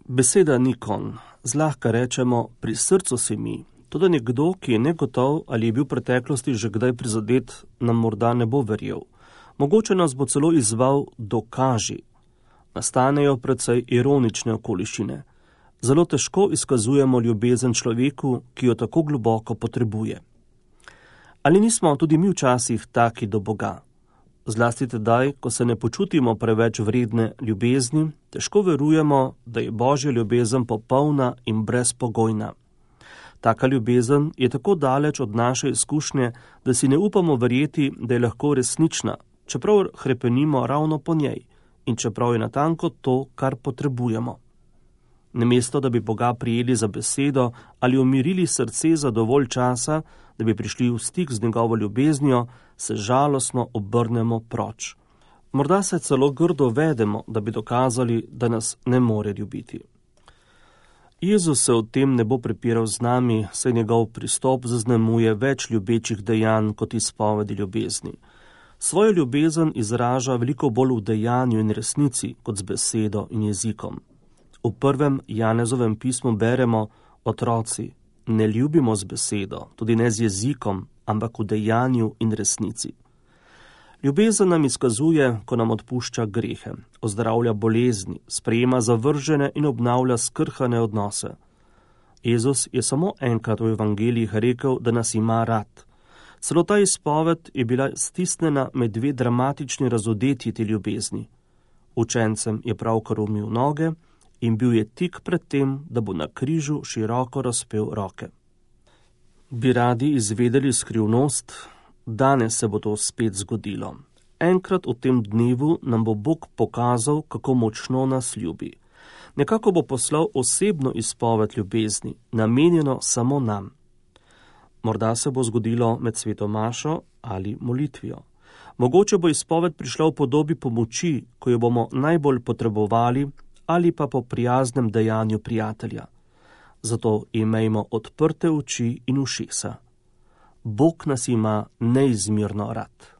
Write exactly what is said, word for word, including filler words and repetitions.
Beseda ni konj. Zlahka rečemo, pri srcu si mi. Toda nekdo, ki je negotov ali je bil v preteklosti že kdaj prizadet, nam morda ne bo verjel. Mogoče nas bo celo izzval dokaži. Nastanejo precej ironične okoliščine. Zelo težko izkazujemo ljubezen človeku, ki jo tako globoko potrebuje. Ali nismo tudi mi včasih taki do Boga? Zlasti tedaj, ko se ne počutimo preveč vredne ljubezni, težko verujemo, da je Božja ljubezen popolna in brezpogojna. Taka ljubezen je tako daleč od naše izkušnje, da si ne upamo verjeti, da je lahko resnična, čeprav hrepenimo ravno po njej in čeprav je natanko to, kar potrebujemo. Namesto, da bi Boga prijeli za besedo ali umirili srce za dovolj časa, da bi prišli v stik z njegovo ljubeznijo, se žalostno obrnemo proč. Morda se celo grdo vedemo, da bi dokazali, da nas ne more ljubiti. Jezus se o tem ne bo prepiral z nami, saj njegov pristop zaznamuje več ljubečih dejanj kot izpovedi ljubezni. Svojo ljubezen izraža veliko bolj v dejanju in resnici kot z besedo in jezikom. V prvem Janezovem pismu beremo: otroci, ne ljubimo z besedo, tudi ne z jezikom, ampak v dejanju in resnici. Ljubezen nam izkazuje, ko nam odpušča grehe, ozdravlja bolezni, sprejema zavržene in obnavlja skrhane odnose. Jezus je samo enkrat v evangelijih rekel, da nas ima rad. Celo ta izpoved je bila stisnjena med dve dramatični razodetji te ljubezni. Učencem je pravkar umil noge in bil je tik pred tem, da bo na križu široko razpel roke. Bi radi izvedeli skrivnost? Danes se bo to spet zgodilo. Enkrat v tem dnevu nam bo Bog pokazal, kako močno nas ljubi. Nekako bo poslal osebno izpoved ljubezni, namenjeno samo nam. Morda se bo zgodilo med sveto mašo ali molitvijo. Mogoče bo izpoved prišla v podobi pomoči, ko jo bomo najbolj potrebovali, ali pa po prijaznem dejanju prijatelja. Zato imejmo odprte oči in ušesa. Bog nas ima neizmerno rad.